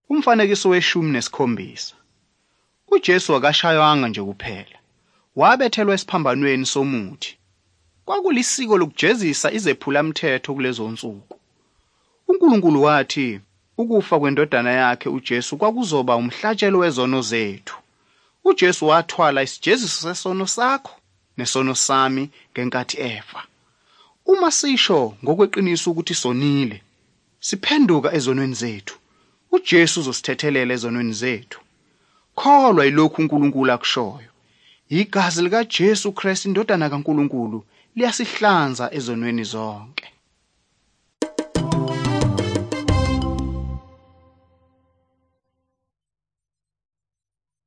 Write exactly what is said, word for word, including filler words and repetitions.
Umfanekiso weshumi nesikhombisa. UJesu akashaywanga nje kuphela. Wabethelwa esiphambanweni somuthi. Kwakulisiko lokujezisa izephulamthetho kulezonsuku. UNkulunkulu wathi ukufa kweNdodana yakhe uJesu kwakuzoba umhlatshelo wezono zethu. UJesu wathwala isijeziso sesono sakho nesono sami ngenkathi efa. Uma sisho ngokweqiniso ukuthi sonile, siphenduka ezonweni zethu, uJesu uzosithethelela ezonweni zethu. Kholwa yilokhu uNkulunkulu akushoyo. Igazi likaJesu Kristu, iNdodana kaNkulunkulu, liyasihlanza ezonweni zonke.